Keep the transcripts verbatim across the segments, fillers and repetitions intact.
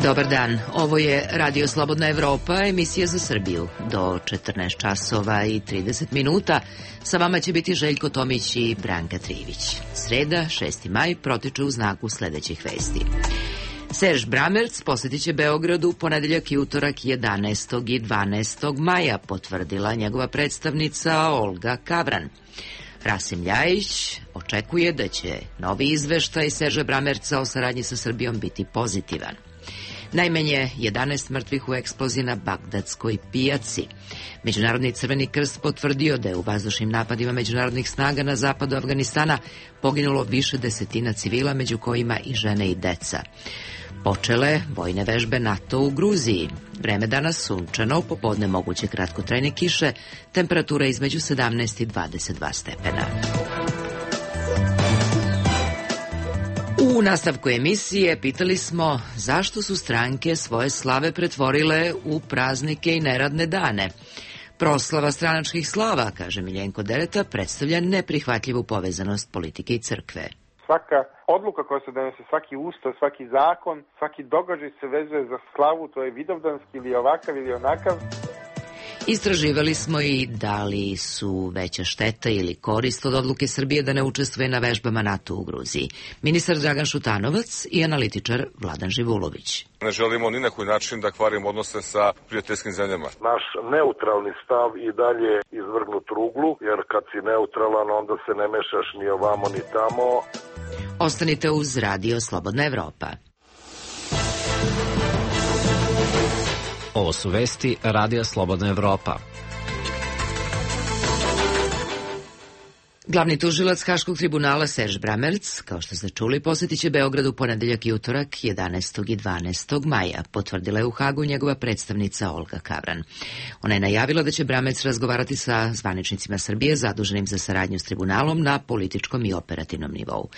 Dobar dan, ovo je Radio Slobodna Evropa, emisija za Srbiju. Do četrnaest časova i trideset minuta sa vama će biti Željko Tomić i Branka Trivić. Sreda, šesti maj, protiče u znaku sledećih vesti. Serž Bramerc posjetit će Beogradu u ponedeljak i utorak jedanaestog i dvanaestog maja, potvrdila njegova predstavnica Olga Kavran. Rasim Ljajić očekuje da će novi izveštaj Serža Bramerca o saradnji sa Srbijom biti pozitivan. Najmanje jedanaest mrtvih u eksploziji na Bagdadskoj pijaci. Međunarodni Crveni krst potvrdio da je u vazdušnim napadima međunarodnih snaga na zapadu Afganistana poginulo više desetina civila, među kojima i žene i deca. Počele vojne vežbe NATO u Gruziji. Vreme danas sunčano, popodne moguće kratkotrajne kiše, temperatura između sedamnaest i dvadeset dva stepena. U nastavku emisije pitali smo zašto su stranke svoje slave pretvorile u praznike i neradne dane. Proslava stranačkih slava, kaže Miljenko Dereta, predstavlja neprihvatljivu povezanost politike i crkve. Svaka odluka koja se donese, svaki ustav, svaki zakon, svaki događaj se vezuje za slavu, to je vidovdanski ili ovakav ili onakav. Istraživali smo i da li su veća šteta ili korist od odluke Srbije da ne učestvuje na vežbama NATO u Gruziji. Ministar Dragan Šutanovac i analitičar Vladan Živulović. Ne želimo ni na koji način da kvarimo odnose sa prijateljskim zemljama. Naš neutralni stav i dalje izvrgnut ruglu, jer kad si neutralan onda se ne mešaš ni ovamo ni tamo. Ostanite uz Radio Slobodna Evropa. Ovo su vesti Radija Slobodna Evropa. Glavni tužilac Haškog tribunala Serž Bramerc, kao što ste čuli, posjetit će Beograd u ponedeljak i utorak jedanaestog i dvanaestog maja, potvrdila je u Hagu njegova predstavnica Olga Kavran. Ona je najavila da će Bramerc razgovarati sa zvaničnicima Srbije zaduženim za saradnju s tribunalom na političkom i operativnom nivou.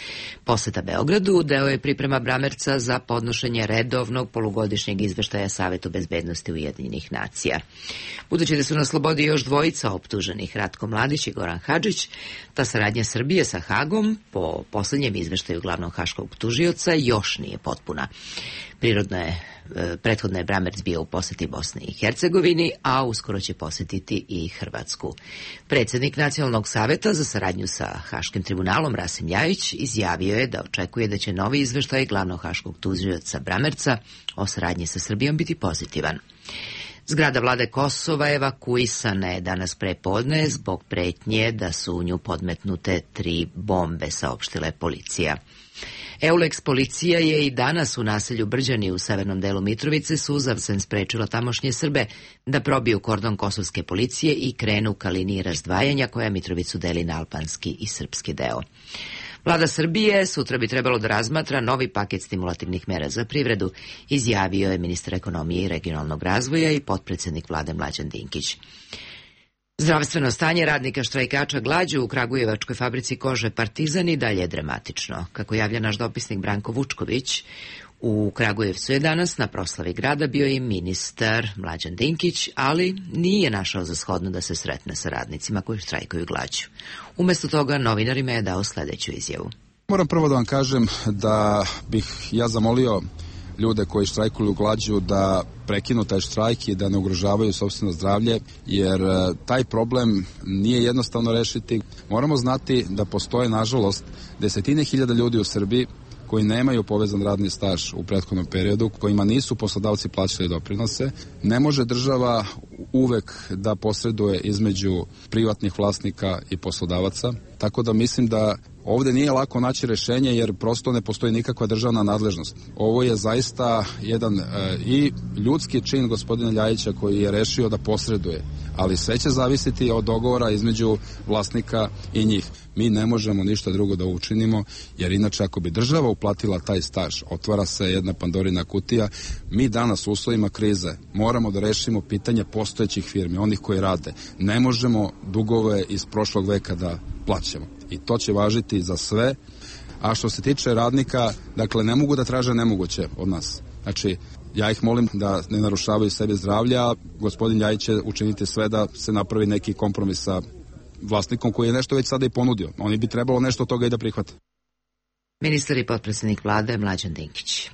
Poseta Beogradu deo je priprema Bramerca za podnošenje redovnog polugodišnjeg izveštaja Savetu bezbednosti Ujedinjenih nacija. Budući da su na slobodi još dvojica optuženih, Ratko Mladić i Goran Hadžić, ta saradnja Srbije sa Hagom, po posljednjem izveštaju glavnog haškog tužioca, još nije potpuna. Prirodno je, prethodno je Bramerc bio u poseti Bosni i Hercegovini, a uskoro će posjetiti i Hrvatsku. Predsjednik Nacionalnog saveta za saradnju sa Haškim tribunalom Rasim Ljajić izjavio je da očekuje da će novi izveštaj glavnog haškog tužioca Bramerca o saradnji sa Srbijom biti pozitivan. Zgrada vlade Kosova evakuisana je danas prepodne zbog pretnje da su u nju podmetnute tri bombe, saopštila je policija. Eulex policija je i danas u naselju Brđani u severnom delu Mitrovice suzavcem sprečila tamošnje Srbe da probiju kordon kosovske policije i krenu ka liniji razdvajanja koja Mitrovicu deli na albanski i srpski deo. Vlada Srbije sutra bi trebalo da razmatra novi paket stimulativnih mera za privredu, izjavio je ministar ekonomije i regionalnog razvoja i potpredsjednik vlade Mlađan Dinkić. Zdravstveno stanje radnika štrajkača glađu u kragujevačkoj fabrici kože Partizan i dalje je dramatično. Kako javlja naš dopisnik Branko Vučković, u Kragujevcu je danas na proslavi grada bio i ministar Mlađan Dinkić, ali nije našao za shodno da se sretne sa radnicima koji štrajkuju glađu. Umesto toga novinarima je dao sledeću izjavu. Moram prvo da vam kažem da bih ja zamolio ljude koji štrajkuju glađu da prekinu taj štrajk i da ne ugrožavaju sopstveno zdravlje, jer taj problem nije jednostavno rešiti. Moramo znati da postoje, nažalost, desetine hiljada ljudi u Srbiji koji nemaju povezan radni staž u prethodnom periodu, kojima nisu poslodavci plaćali doprinose. Ne može država uvek da posreduje između privatnih vlasnika i poslodavaca, tako da mislim da ovde nije lako naći rešenje jer prosto ne postoji nikakva državna nadležnost. Ovo je zaista jedan e, i ljudski čin gospodina Ljajića koji je rešio da posreduje, ali sve će zavisiti od dogovora između vlasnika i njih. Mi ne možemo ništa drugo da učinimo, jer inače ako bi država uplatila taj staž, otvara se jedna Pandorina kutija. Mi danas u uslovima krize moramo da rešimo pitanje postojećih firmi, onih koji rade. Ne možemo dugove iz prošlog veka da plaćamo. I to će važiti za sve. A što se tiče radnika, dakle, ne mogu da traže nemoguće od nas. Znači, ja ih molim da ne narušavaju sebe zdravlja, a gospodin Ljajić će učiniti sve da se napravi neki kompromis sa vlasnikom koji je nešto već sada i ponudio. Oni bi trebalo nešto od toga i da prihvate. Ministar i potpredsjednik vlade Mlađan Dinkić.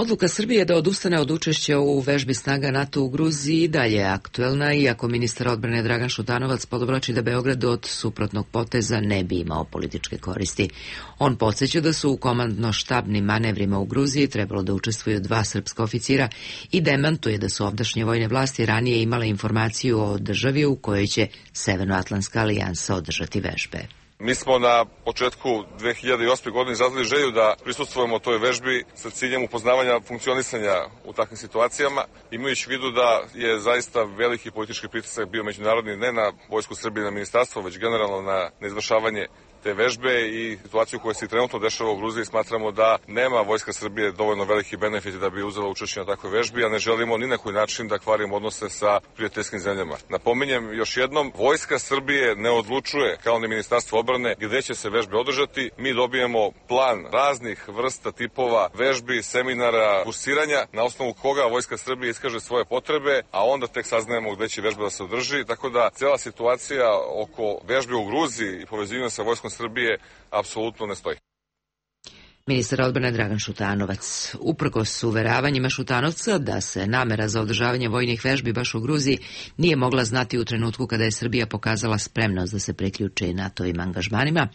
Odluka Srbije da odustane od učešća u vežbi snaga NATO u Gruziji i dalje je aktuelna, iako ministar odbrane Dragan Šutanovac podvlači da Beograd od suprotnog poteza ne bi imao političke koristi. On podsjeća da su u komandno-štabnim manevrima u Gruziji trebalo da učestvuju dva srpska oficira i demantuje da su ovdašnje vojne vlasti ranije imale informaciju o državi u kojoj će Severnoatlantska alijansa održati vežbe. Mi smo na početku dve hiljade osme. godine izrazili želju da prisustvujemo toj vežbi sa ciljem upoznavanja funkcionisanja u takvim situacijama, imajući u vidu da je zaista veliki politički pritisak bio međunarodni, ne na Vojsku Srbije, na ministarstvo, već generalno na, na izvršavanje te vežbe i situaciju koja se trenutno dešava u Gruziji. Smatramo da nema Vojska Srbije dovoljno veliki benefit da bi uzela učešće na takvoj vežbi, a ne želimo ni na koji način da kvarimo odnose sa prijateljskim zemljama. Napominjem još jednom, Vojska Srbije ne odlučuje, kao ni Ministarstvo odbrane, gde će se vežbe održati. Mi dobijemo plan raznih vrsta tipova vežbi, seminara, kursiranja, na osnovu koga Vojska Srbije iskaže svoje potrebe, a onda tek saznajemo gde će vežba da se održi. Tako da cela situacija oko vežbe u Gruziji i povezivanja sa Vojskom Srbije apsolutno ne stoji. Ministar odbrane Dragan Šutanovac. Uprkos uveravanjima Šutanovca da se namera za održavanje vojnih vežbi baš u Gruziji nije mogla znati u trenutku kada je Srbija pokazala spremnost da se priključi NATO-ovim angažmanima,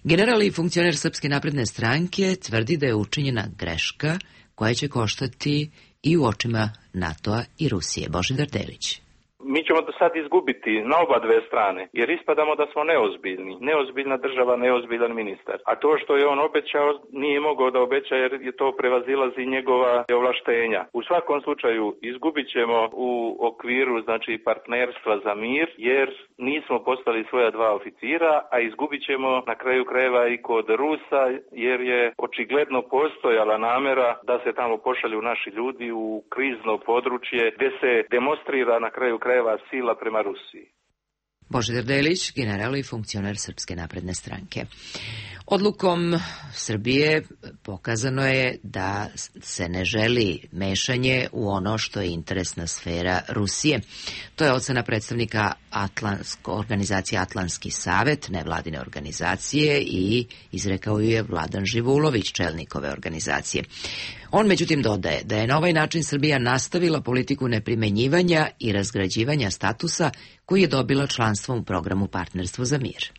general i funkcioner Srpske napredne stranke tvrdi da je učinjena greška koja će koštati i u očima NATO-a i Rusije. Božidar Delić. Mi ćemo do sad izgubiti na oba dve strane, jer ispadamo da smo neozbiljni. Neozbiljna država, neozbiljan ministar. A to što je on obećao, nije mogao da obeća jer je to prevazilazi njegova ovlaštenja. U svakom slučaju izgubit ćemo u okviru znači partnerstva za mir, jer nismo poslali svoja dva oficira, a izgubit ćemo na kraju krajeva i kod Rusa, jer je očigledno postojala namera da se tamo pošalju naši ljudi u krizno područje gde se demonstrira na kraju krajeva sila prema Rusiji. Božidar Delić, general i funkcioner Srpske napredne stranke. Odlukom Srbije pokazano je da se ne želi mešanje u ono što je interesna sfera Rusije. To je ocena predstavnika Atlansko, organizacije Atlantski savet, nevladine organizacije, i izrekao ju je Vladan Živulović, čelnik ove organizacije. On međutim dodaje da je na ovaj način Srbija nastavila politiku neprimenjivanja i razgrađivanja statusa koji je dobila članstvom u programu Partnerstvo za mir.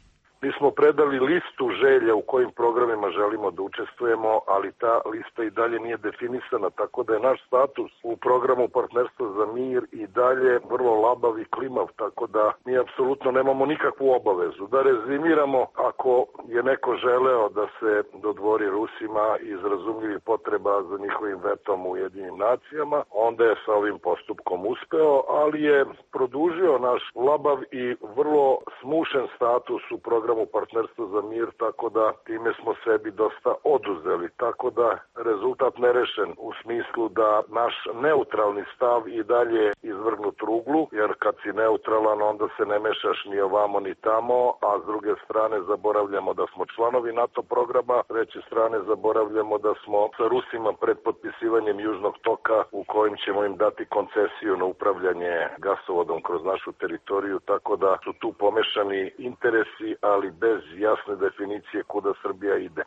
Mi smo predali listu želja u kojim programima želimo da učestvujemo, ali ta lista i dalje nije definisana, tako da je naš status u programu Partnerstva za mir i dalje vrlo labav i klimav, tako da mi apsolutno nemamo nikakvu obavezu. Da rezimiramo, ako je neko želeo da se dodvori Rusima iz razumljivih potreba za njihovim vetom u Ujedinjenim nacijama, onda je sa ovim postupkom uspeo, ali je produžio naš labav i vrlo smušen status u programu Partnerstvo za mir, tako da time smo sebi dosta oduzeli, tako da rezultat nerešen u smislu da naš neutralni stav i dalje izvrgnut ruglu, jer kad si neutralan onda se ne mešaš ni ovamo ni tamo, a s druge strane zaboravljamo da smo članovi NATO programa, s treće strane zaboravljamo da smo sa Rusima pred potpisivanjem Južnog toka u kojim ćemo im dati koncesiju na upravljanje gasovodom kroz našu teritoriju, tako da su tu pomešani interesi, ali bez jasne definicije kuda Srbija ide.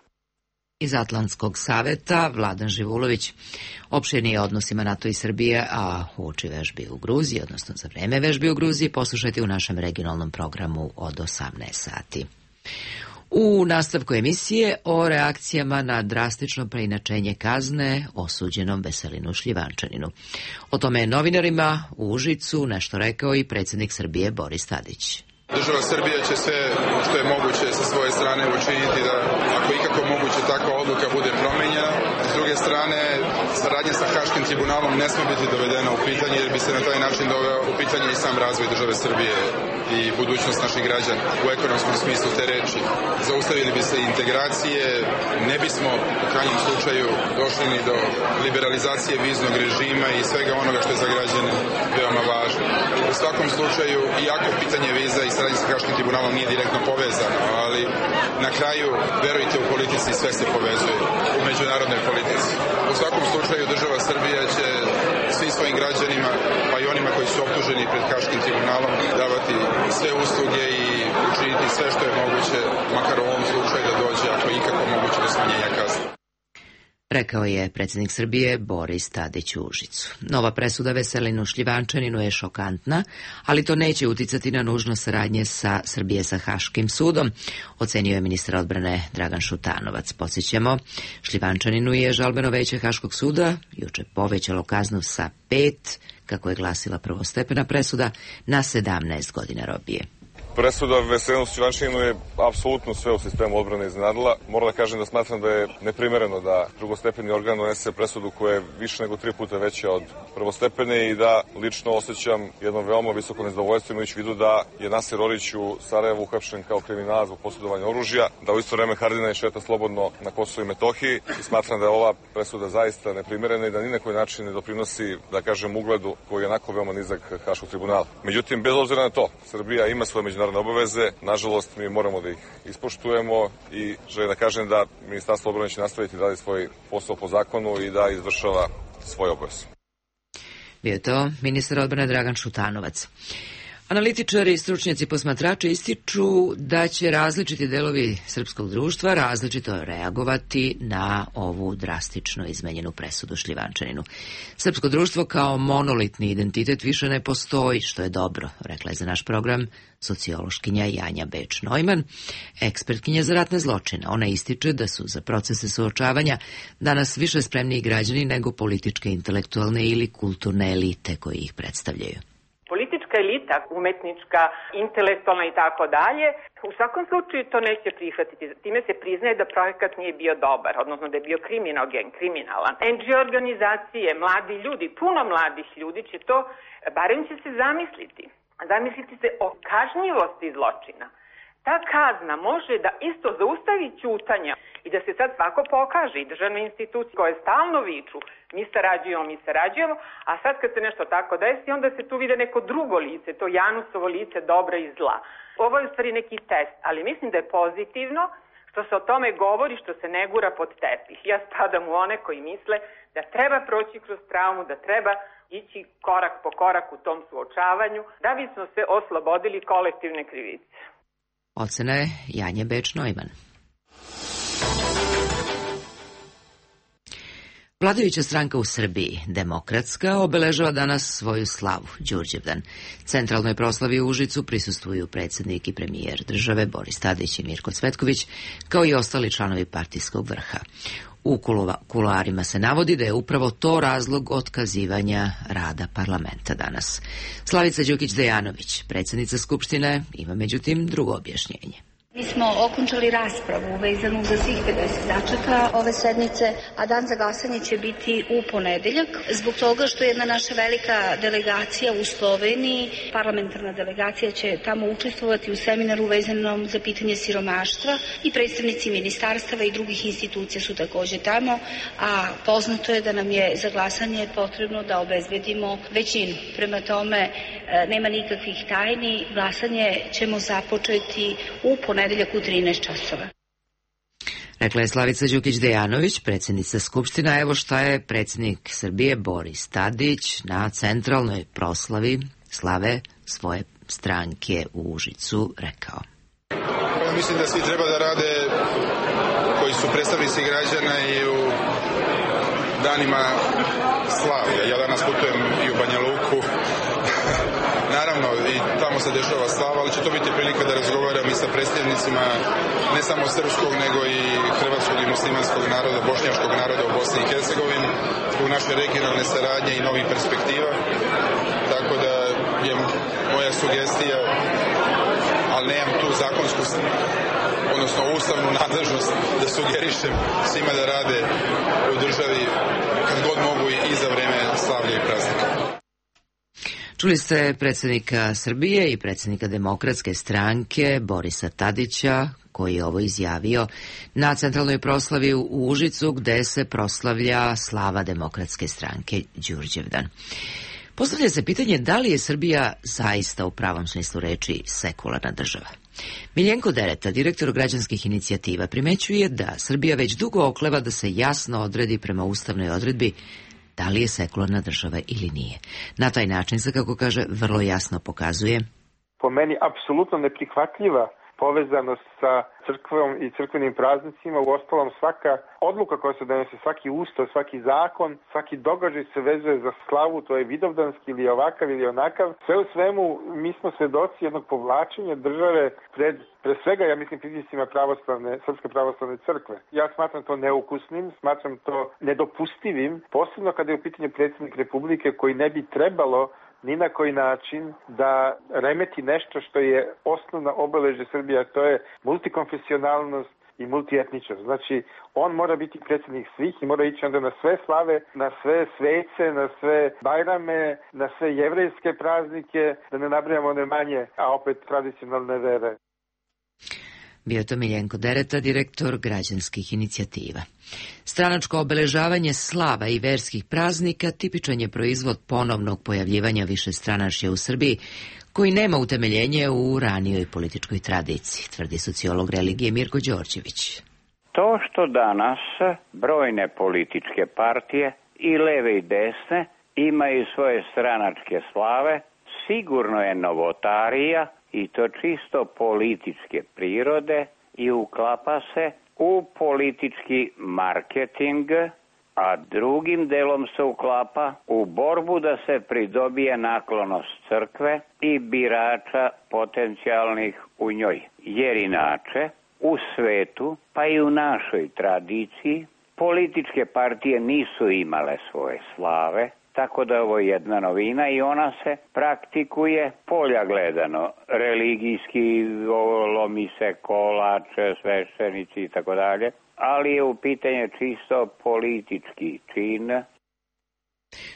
Iz Atlantskog saveta Vladan Živulović. Opširnije o odnosima NATO i Srbije, a uoči vežbi u Gruziji, odnosno za vreme vežbi u Gruziji, poslušajte u našem regionalnom programu od osamnaest sati. U nastavku emisije o reakcijama na drastično preinačenje kazne osuđenom Veselinu Šljivančaninu. O tome je novinarima u Užicu nešto rekao i predsjednik Srbije Boris Tadić. Država Srbija će sve što je moguće sa svoje strane učiniti da, ako ikako moguće, takva odluka bude promenjena. S druge strane, saradnja sa Haškim tribunalom ne sme biti dovedena u pitanje, jer bi se na taj način doveo u pitanje i sam razvoj države Srbije i budućnost naših građana u ekonomskom smislu te reči. Zaustavili bi se integracije, ne bismo u krajnjem slučaju došli ni do liberalizacije viznog režima i svega onoga što je za građane veoma važno. U svakom slučaju, iako pitanje viza i saradnja sa Haškim tribunalom nije direktno povezano, ali na kraju, verujte, u politici sve se povezuje, u međunarodnoj politici. U svakom slučaju, država Srbija će svim svojim građanima, pa i onima koji su optuženi pred Haškim tribunalom, davati sve usluge i učiniti sve što je moguće, makar u ovom slučaju da dođe, ako ikako moguće, do smanjenja kazne. Rekao je predsjednik Srbije Boris Tadić u Užicu. Nova presuda Veselinu Šljivančaninu je šokantna, ali to neće uticati na nužnost saradnje sa Srbije sa Haškim sudom, ocenio je ministar odbrane Dragan Šutanovac. Podsjećamo, Šljivančaninu je žalbeno veće Haškog suda juče povećalo kaznu sa pet, kako je glasila prvostepena presuda, na sedamnaest godina robije. Presuda Veselinu Šljivančaninu je apsolutno sve u sistemu odbrane iznenadila. Moram da kažem da smatram da je neprimereno da drugostepeni organ donese presudu koja je više nego tri puta veća od prvostepene i da lično osjećam jedno veoma visoko nezadovoljstvo imajući u vidu da je Nasir Orić u Sarajevu uhapšen kao kriminalac zbog posjedovanja oružja, da u isto vreme Haradinaj šeta slobodno na Kosovu i Metohiji i smatram da je ova presuda zaista neprimerena i da ni na koji način ne doprinosi, da kažem, ugledu koji je onako veoma nizak Haškog tribunala. Međutim, bez obzira na to, Srbija ima svoje međunarodne obaveze, nažalost mi moramo da ih ispoštujemo i želim da kažem da Ministarstvo odbrane će nastaviti da radi svoj posao po zakonu i da izvršava svoje obaveze. Bio je to ministar odbrane Dragan Šutanovac. Analitičari i stručnjaci posmatrači ističu da će različiti delovi srpskog društva različito reagovati na ovu drastično izmenjenu presudu Šljivančaninu. Srpsko društvo kao monolitni identitet više ne postoji, što je dobro, rekla je za naš program sociološkinja Janja Beč-Neumann, ekspertkinja za ratne zločine. Ona ističe da su za procese suočavanja danas više spremniji građani nego političke, intelektualne ili kulturne elite koji ih predstavljaju. Elita, umetnička, intelektualna i tako dalje, u svakom slučaju to neće prihvatiti. Time se priznaje da projekat nije bio dobar, odnosno da je bio kriminogen, kriminalan. en dži o organizacije, mladi ljudi, puno mladih ljudi će to, barem će se zamisliti. Zamisliti se o kažnjivosti zločina. Ta kazna može da isto zaustavi ćutanja i da se sad svako pokaže i državne institucije koje stalno viču mi sarađujemo, mi sarađujemo, a sad kad se nešto tako desi, onda se tu vide neko drugo lice, to Janusovo lice dobra i zla. Ovo je u stvari neki test, ali mislim da je pozitivno što se o tome govori, što se ne gura pod tepih. Ja spadam u one koji misle da treba proći kroz traumu, da treba ići korak po korak u tom suočavanju, da bismo se oslobodili kolektivne krivice. Ocena je Janje Beč-Neumann. Vladajuća stranka u Srbiji, Demokratska, obeležava danas svoju slavu, Đurđevdan. Centralnoj proslavi u Užicu prisustvuju predsjednik i premijer države Boris Tadić i Mirko Cvetković, kao i ostali članovi partijskog vrha. U kuloarima se navodi da je upravo to razlog otkazivanja rada parlamenta danas. Slavica Đukić-Dejanović, predsjednica Skupštine, ima međutim drugo objašnjenje. Mi smo okončali raspravu vezanu za svih pedeset tačaka ove sednice, a dan za glasanje će biti u ponedeljak, zbog toga što je jedna naša velika delegacija u Sloveniji, parlamentarna delegacija će tamo učestvovati u seminaru vezanom za pitanje siromaštva i predstavnici ministarstava i drugih institucija su također tamo, a poznato je da nam je za glasanje potrebno da obezbedimo većinu. Prema tome, nema nikakvih tajni, glasanje ćemo započeti u ponedeljak u trinaest časova. Rekla je Slavica Đukić-Dejanović, predsjednica Skupština. Evo šta je predsjednik Srbije Boris Tadić na centralnoj proslavi slave svoje stranke u Užicu rekao. Ja mislim da svi treba da rade koji su predstavnici građana i u danima slavlja. Ja danas putujem i u Banja Luku. Naravno, i tamo se dešava slava, ali će to biti prilika da razgovaram i sa predstavnicima ne samo srpskog, nego i hrvatskog i muslimanskog naroda, bošnjačkog naroda u Bosni i Hercegovini, zbog naše regionalne saradnje i novih perspektiva. Tako da je moja sugestija, ali nemam tu zakonsku, odnosno ustavnu nadležnost da sugerišem svima da rade u državi kad god mogu i za vreme slavlja i praznika. Čuli ste predsjednika Srbije i predsjednika Demokratske stranke Borisa Tadića, koji je ovo izjavio na centralnoj proslavi u Užicu, gde se proslavlja slava Demokratske stranke Đurđevdan. Postavlja se pitanje da li je Srbija zaista u pravom smislu reči sekularna država. Miljenko Dereta, direktor građanskih inicijativa, primećuje da Srbija već dugo okleva da se jasno odredi prema ustavnoj odredbi da li je sekularna država ili nije. Na taj način se, kako kaže, vrlo jasno pokazuje. Po meni apsolutno neprihvatljiva povezanost sa crkvom i crkvenim praznicima. U ostalom, svaka odluka koja se donese, svaki ustav, svaki zakon, svaki događaj se vezuje za slavu, to je vidovdanski ili ovakav ili onakav. Sve u svemu, mi smo svedoci jednog povlačenja države pred, pre svega, ja mislim, pritiscima pravoslavne, Srpske pravoslavne crkve. Ja smatram to neukusnim, smatram to nedopustivim, posebno kada je u pitanju predsjednik Republike koji ne bi trebalo ni na koji način da remeti nešto što je osnovna obeležje Srbije, to je multikonfesionalnost i multietničnost. Znači, on mora biti predsjednik svih i mora ići onda na sve slave, na sve svece, na sve bajrame, na sve jevrejske praznike, da ne nabrajamo one manje, a opet tradicionalne vere. Bio to Miljenko Dereta, direktor građanskih inicijativa. Stranačko obeležavanje slava i verskih praznika tipičan je proizvod ponovnog pojavljivanja višestranačja u Srbiji, koji nema utemeljenje u ranijoj političkoj tradiciji, tvrdi sociolog religije Mirko Đorđević. To što danas brojne političke partije, i leve i desne, imaju svoje stranačke slave, sigurno je novotarija, i to čisto političke prirode, i uklapa se u politički marketing, a drugim delom se uklapa u borbu da se pridobije naklonost crkve i birača potencijalnih u njoj. Jer inače, u svetu, pa i u našoj tradiciji, političke partije nisu imale svoje slave, tako da ovo je jedna novina i ona se praktikuje polja gledano, religijski, lomi se kolače, sveštenici i tako dalje, ali je u pitanje čisto politički čin.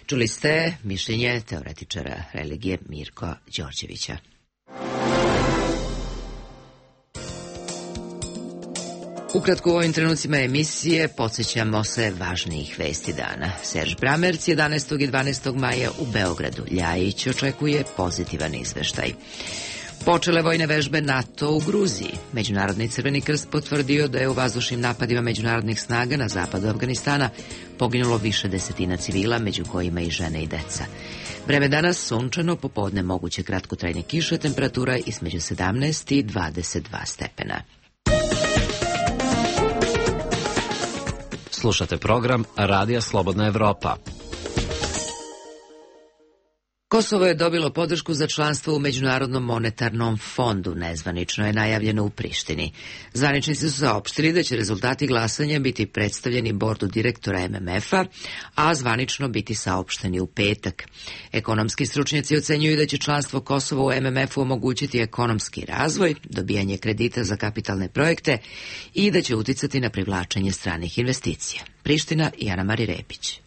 Čuli ste mišljenje teoretičara religije Mirka Đorđevića. Ukratko u ovim trenucima emisije podsjećamo se važnijih vesti dana. Serž Bramerc jedanaestog i dvanaestog maja u Beogradu. Ljajić očekuje pozitivan izveštaj. Počele vojne vežbe NATO u Gruziji. Međunarodni Crveni krst potvrdio da je u vazdušnim napadima međunarodnih snaga na zapadu Afganistana poginulo više desetina civila, među kojima i žene i deca. Vreme danas sunčano, popodne moguće kratkotrajne kiše, temperatura između sedamnaest i dvadeset dva stepena. Slušate program Radija Slobodna Evropa. Kosovo je dobilo podršku za članstvo u Međunarodnom monetarnom fondu, nezvanično je najavljeno u Prištini. Zvaničnici su saopštili da će rezultati glasanja biti predstavljeni bordu direktora M M F-a, a zvanično biti saopšteni u petak. Ekonomski stručnjaci ocenjuju da će članstvo Kosova u M M F-u omogućiti ekonomski razvoj, dobijanje kredita za kapitalne projekte i da će uticati na privlačenje stranih investicija. Priština i Ana Mari Repić.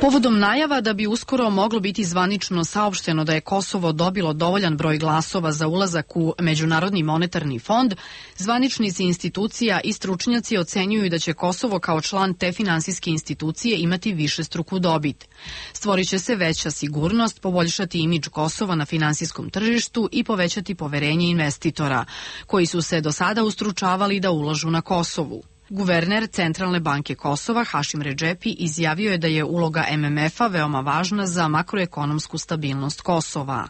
Povodom najava da bi uskoro moglo biti zvanično saopšteno da je Kosovo dobilo dovoljan broj glasova za ulazak u Međunarodni monetarni fond, zvaničnici institucija i stručnjaci ocenjuju da će Kosovo kao član te finansijske institucije imati višestruku dobit. Stvorit će se veća sigurnost, poboljšati imidž Kosova na finansijskom tržištu i povećati poverenje investitora, koji su se do sada ustručavali da ulažu na Kosovu. Guverner Centralne banke Kosova, Hašim Redžepi, izjavio je da je uloga M M F-a veoma važna za makroekonomsku stabilnost Kosova.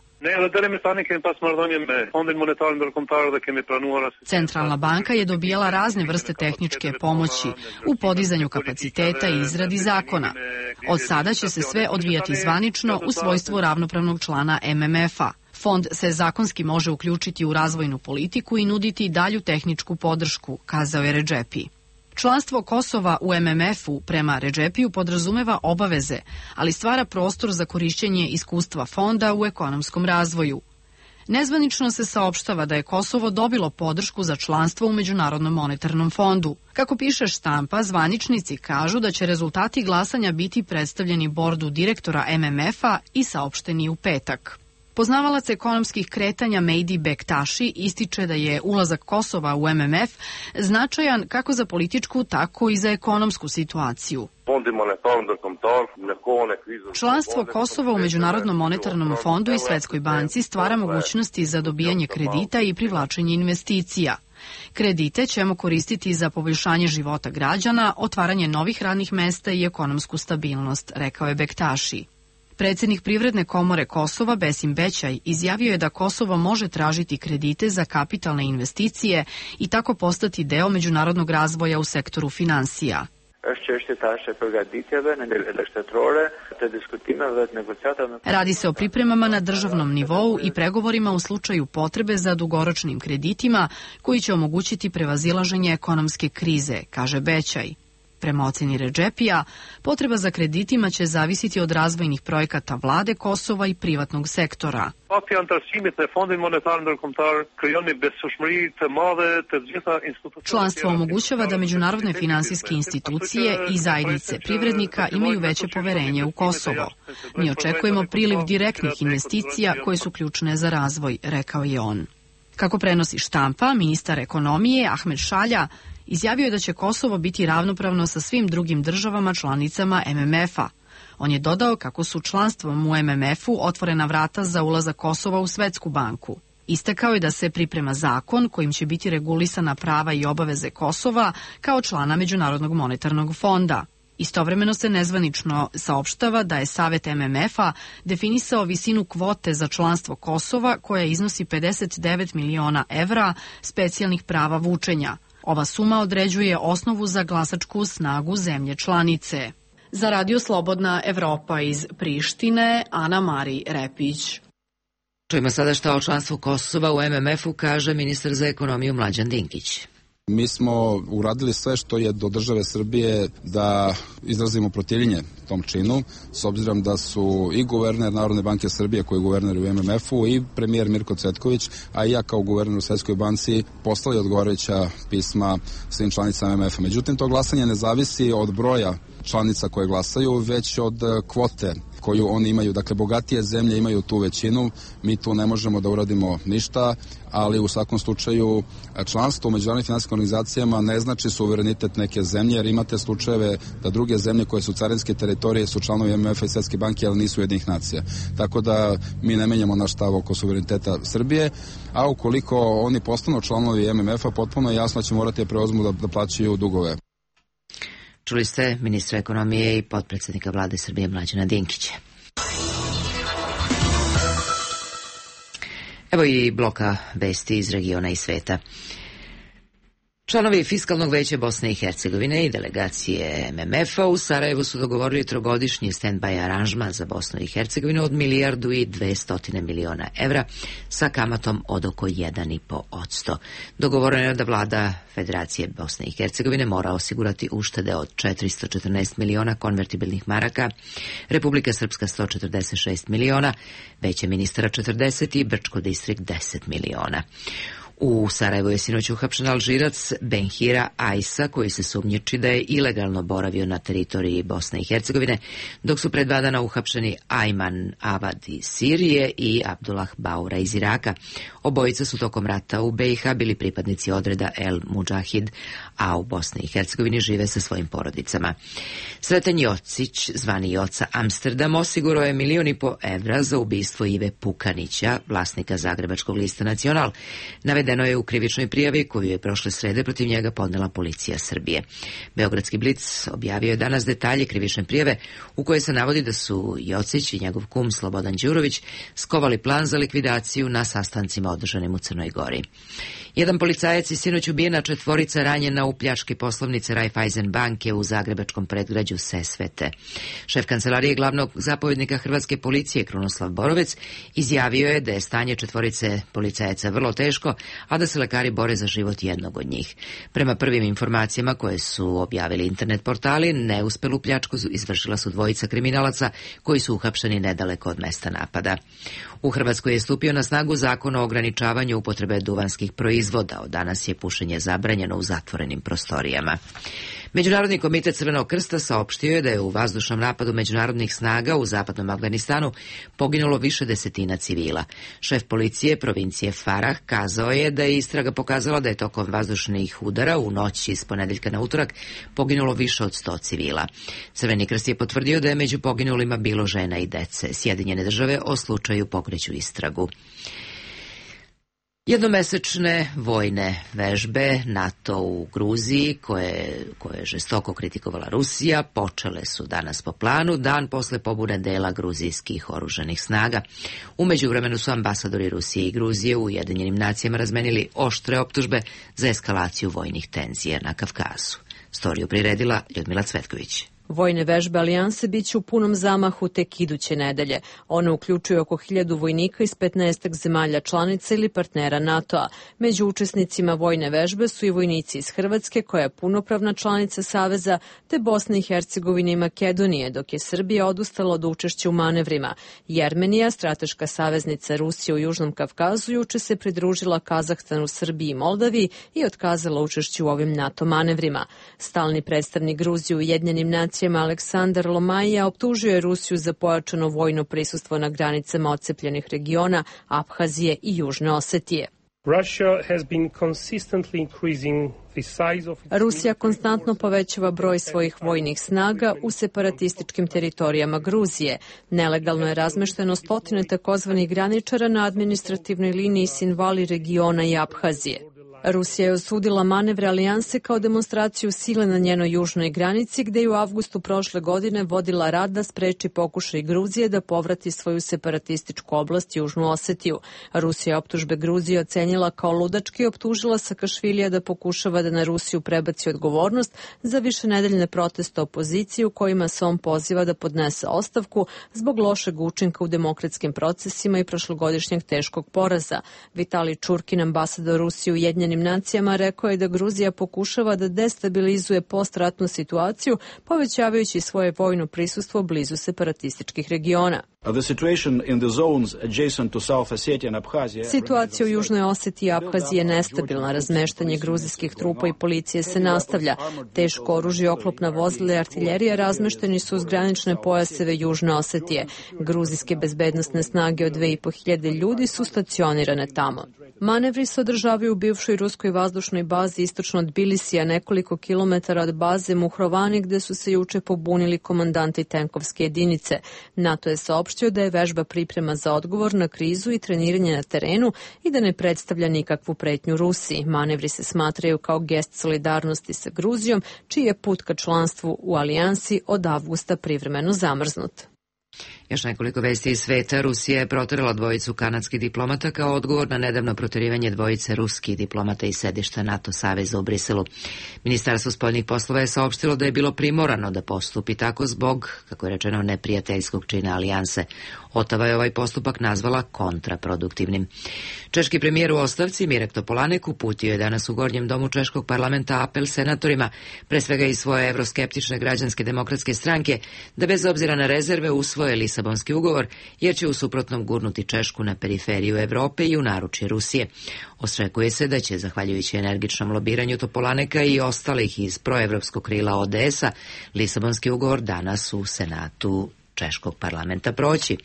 Centralna banka je dobijala razne vrste tehničke pomoći u podizanju kapaciteta i izradi zakona. Od sada će se sve odvijati zvanično u svojstvu ravnopravnog člana M M F-a. Fond se zakonski može uključiti u razvojnu politiku i nuditi dalju tehničku podršku, kazao je Redžepi. Članstvo Kosova u M M F-u prema Redžepiju podrazumeva obaveze, ali stvara prostor za korišćenje iskustva fonda u ekonomskom razvoju. Nezvanično se saopštava da je Kosovo dobilo podršku za članstvo u Međunarodnom monetarnom fondu. Kako piše štampa, zvaničnici kažu da će rezultati glasanja biti predstavljeni bordu direktora M M F-a i saopšteni u petak. Poznavalac ekonomskih kretanja Mehdi Bektaši ističe da je ulazak Kosova u M M F značajan kako za političku, tako i za ekonomsku situaciju. Članstvo Kosova u Međunarodnom monetarnom fondu i Svetskoj banci stvara mogućnosti za dobijanje kredita i privlačenje investicija. Kredite ćemo koristiti za poboljšanje života građana, otvaranje novih radnih mesta i ekonomsku stabilnost, rekao je Bektaši. Predsjednik Privredne komore Kosova Besim Bećaj izjavio je da Kosovo može tražiti kredite za kapitalne investicije i tako postati deo međunarodnog razvoja u sektoru finansija. Radi se o pripremama na državnom nivou i pregovorima u slučaju potrebe za dugoročnim kreditima koji će omogućiti prevazilaženje ekonomske krize, kaže Bećaj. Prema oceni Redžepija, potreba za kreditima će zavisiti od razvojnih projekata vlade Kosova i privatnog sektora. Članstvo omogućava da međunarodne finansijske institucije i zajednice privrednika imaju veće poverenje u Kosovo. Mi očekujemo priliv direktnih investicija koje su ključne za razvoj, rekao je on. Kako prenosi štampa, ministar ekonomije Ahmed Šalja izjavio je da će Kosovo biti ravnopravno sa svim drugim državama članicama M M F-a. On je dodao kako su članstvom u M M F-u otvorena vrata za ulazak Kosova u Svetsku banku. Istakao je da se priprema zakon kojim će biti regulisana prava i obaveze Kosova kao člana Međunarodnog monetarnog fonda. Istovremeno se nezvanično saopštava da je Savet M M F-a definisao visinu kvote za članstvo Kosova koja iznosi pedeset devet miliona evra specijalnih prava vučenja. Ova suma određuje osnovu za glasačku snagu zemlje članice. Za Radio Slobodna Evropa iz Prištine, Ana Mari Repić. Čujemo sada šta o članstvu Kosova u M M F-u kaže ministar za ekonomiju Mlađan Dinkić. Mi smo uradili sve što je do države Srbije da izrazimo protivljenje tom činu, s obzirom da su i guverner Narodne banke Srbije, koji je guverner u M M F-u, i premijer Mirko Cvetković, a i ja kao guverner u Svetskoj banci poslali odgovarajuća pisma svim članicama M M F-a. Međutim, to glasanje ne zavisi od broja članica koje glasaju, već od kvote koju oni imaju. Dakle, bogatije zemlje imaju tu većinu, mi tu ne možemo da uradimo ništa, ali u svakom slučaju članstvo u međunarodnim finansijskim organizacijama ne znači suverenitet neke zemlje, jer imate slučajeve da druge zemlje koje su carinske teritorije su članovi M M F-a i Svetske banke, ali nisu Ujedinjenih nacija. Tako da mi ne menjamo naš stav oko suvereniteta Srbije, a ukoliko oni postanu članovi M M F-a, potpuno je jasno da će morati da preuzmu da, da plaćaju dugove. Čuli ste ministra ekonomije i potpredsjednika vlade Srbije Mlađana Dinkića. Evo i bloka vesti iz regiona i sveta. Članovi Fiskalnog veća Bosne i Hercegovine i delegacije M M F-a u Sarajevu su dogovorili trogodišnji stand-by aranžman za Bosnu i Hercegovinu od milijardu i dvestotine miliona evra sa kamatom od oko jedan i po posto. Dogovoreno je da vlada Federacije Bosne i Hercegovine mora osigurati uštede od četiristo četrnaest miliona konvertibilnih maraka, Republika Srpska sto četrdeset šest miliona, Veće ministara četrdeset i Brčko distrikt deset miliona. U Sarajevu je sinoć uhapšen Alžirac Benhira Ajsa, koji se sumnjiči da je ilegalno boravio na teritoriji Bosne i Hercegovine, dok su pred dva dana uhapšeni Ajman Avad iz Sirije i Abdullah Baura iz Iraka. Obojica su tokom rata u B i H bili pripadnici odreda El Mudžahid, a u Bosni i Hercegovini žive sa svojim porodicama. Sreten Jocić, zvani Joca Amsterdam, osigurao je milion i po evra za ubistvo Ive Pukanića, vlasnika zagrebačkog lista Nacional. Navedeno je u krivičnoj prijavi koju je prošle srede protiv njega podnela policija Srbije. Beogradski Blic objavio je danas detalje krivične prijave u kojoj se navodi da su Jocić i njegov kum Slobodan Đurović skovali plan za likvidaciju na sastancima održanim u Crnoj Gori. Jedan policajac je sinoć ubijen, a četvorica ranjena u pljački poslovnice Raiffeisen banke u zagrebačkom predgrađu Sesvete. Šef kancelarije glavnog zapovjednika hrvatske policije Krunoslav Borovec izjavio je da je stanje četvorice policajaca vrlo teško, a da se lekari bore za život jednog od njih. Prema prvim informacijama koje su objavili internet portali, neuspelu pljačku izvršila su dvojica kriminalaca koji su uhapšeni nedaleko od mesta napada. U Hrvatskoj je stupio na snagu zakon o ograničavanju upotrebe duvanskih proizvoda. Od danas je pušenje zabranjeno u zatvorenim prostorijama. Međunarodni komitet Crvenog krsta saopštio je da je u vazdušnom napadu međunarodnih snaga u zapadnom Afganistanu poginulo više desetina civila. Šef policije provincije Farah kazao je da je istraga pokazala da je tokom vazdušnih udara u noći iz ponedeljka na utorak poginulo više od sto civila. Crveni krst je potvrdio da je među poginulima bilo žena i dece. Sjedinjene države o slučaju pokreću istragu. Jednomesečne vojne vežbe NATO u Gruziji, koje, koje je žestoko kritikovala Rusija, počele su danas po planu, dan posle pobune dela gruzijskih oružanih snaga. U međuvremenu su ambasadori Rusije i Gruzije u Ujedinjenim nacijama razmenili oštre optužbe za eskalaciju vojnih tenzija na Kavkazu. Storiju priredila Ljudmila Cvetković. Vojne vežbe alijanse biće u punom zamahu tek iduće nedelje. One uključuju oko hiljadu vojnika iz petnaestak zemalja članica ili partnera NATO-a. Među učesnicima vojne vežbe su i vojnici iz Hrvatske, koja je punopravna članica Saveza, te Bosne i Hercegovine i Makedonije, dok je Srbija odustala od učešća u manevrima. Jermenija, strateška saveznica Rusije u Južnom Kavkazu, juče se pridružila Kazahstanu, Srbiji i Moldaviji i otkazala učešće u ovim NATO manevrima. Stalni predstavnik Gruzije u Ujedinjenim nacijama Aleksandar Lomajija optužio je Rusiju za pojačano vojno prisustvo na granicama ocepljenih regiona Abhazije i Južne Osetije. Rusija konstantno povećava broj svojih vojnih snaga u separatističkim teritorijama Gruzije. Nelegalno je razmešteno stotine takozvanih graničara na administrativnoj liniji Sinvali regiona i Abhazije. Rusija je osudila manevre alijanse kao demonstraciju sile na njenoj južnoj granici, gde je u avgustu prošle godine vodila rat da spreči pokušaj Gruzije da povrati svoju separatističku oblast Južnu Osetiju. Rusija optužbe Gruzije ocenila kao ludački i optužila Sakašvilija da pokušava da na Rusiju prebaci odgovornost za višenedeljne proteste opozicije u kojima se on poziva da podnese ostavku zbog lošeg učinka u demokratskim procesima i prošlogodišnjeg teškog poraza. Vitali Čurkin, ambasador Rusije u Ujedinjenim nacijama, rekao je da Gruzija pokušava da destabilizuje postratnu situaciju, povećavajući svoje vojno prisustvo blizu separatističkih regiona. Situacija u Južnoj Osetiji i Abhaziji je nestabilna. Razmeštanje gruzijskih trupa i policije se nastavlja. Teško oružje, oklopna vozila i artiljerija razmešteni su uz granične pojaseve Južne Osetije. Gruzijske bezbednosne snage od dve i po hiljade ljudi su stacionirane tamo. Manevri se održavaju u bivšoj ruskoj vazdušnoj bazi istočno od Tbilisija, nekoliko kilometara od baze Muhrovani, gde su se juče pobunili komandanti tenkovske jedinice. NATO je saopštio da je vežba priprema za odgovor na krizu i treniranje na terenu i da ne predstavlja nikakvu pretnju Rusiji. Manevri se smatraju kao gest solidarnosti sa Gruzijom, čiji je put ka članstvu u alijansi od avgusta privremeno zamrznut. Još nekoliko vesti iz sveta. Rusija je proterala dvojicu kanadskih diplomata kao odgovor na nedavno proterivanje dvojice ruskih diplomata iz sedišta NATO saveza u Briselu. Ministarstvo spoljnih poslova je saopštilo da je bilo primorano da postupi tako zbog, kako je rečeno, neprijateljskog čina alijanse. Otava je ovaj postupak nazvala kontraproduktivnim. Češki premijer u ostavci Mirek Topolanek uputio je danas u Gornjem domu češkog parlamenta apel senatorima, pre svega i svoje evroskeptične građanske demokratske stranke, da bez obzira na rezerve usvoje Lisabonski ugovor, jer će u suprotnom gurnuti Češku na periferiju Evrope i u naručje Rusije. Očekuje se da će, zahvaljujući energičnom lobiranju Topolaneka i ostalih iz proevropskog krila O D S-a, Lisabonski ugovor danas u Senatu češkog parlamenta proći.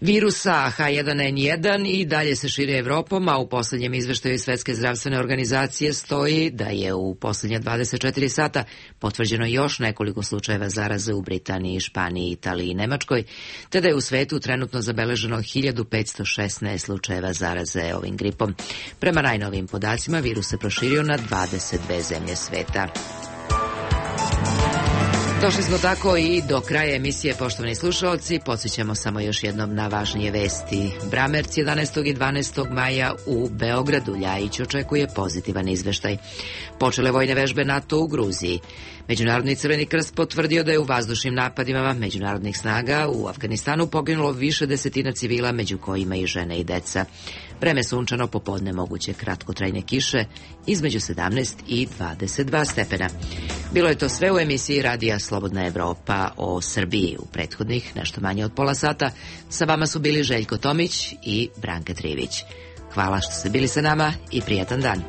Virusa H jedan N jedan i dalje se širi Evropom, a u posljednjem izveštaju Svetske zdravstvene organizacije stoji da je u posljednja dvadeset četiri sata potvrđeno još nekoliko slučajeva zaraze u Britaniji, Španiji, Italiji i Nemačkoj, te da je u svetu trenutno zabeleženo hiljadu petsto šesnaest slučajeva zaraze ovim gripom. Prema najnovijim podacima, virus se proširio na dvadeset dve zemlje sveta. Došli smo tako i do kraja emisije, poštovani slušalci. Podsjećamo samo još jednom na važnije vesti. Bramerc jedanaestog i dvanaestog maja u Beogradu. Ljajić očekuje pozitivan izveštaj. Počele vojne vežbe NATO u Gruziji. Međunarodni Crveni krst potvrdio da je u vazdušnim napadima međunarodnih snaga u Afganistanu poginulo više desetina civila, među kojima i žene i deca. Vreme sunčano, popodne moguće kratkotrajne kiše, između sedamnaest i dvadeset dva stepena. Bilo je to sve u emisiji Radija Slobodna Evropa o Srbiji u prethodnih nešto manje od pola sata. Sa vama su bili Željko Tomić i Branka Trivić. Hvala što ste bili sa nama i prijatan dan.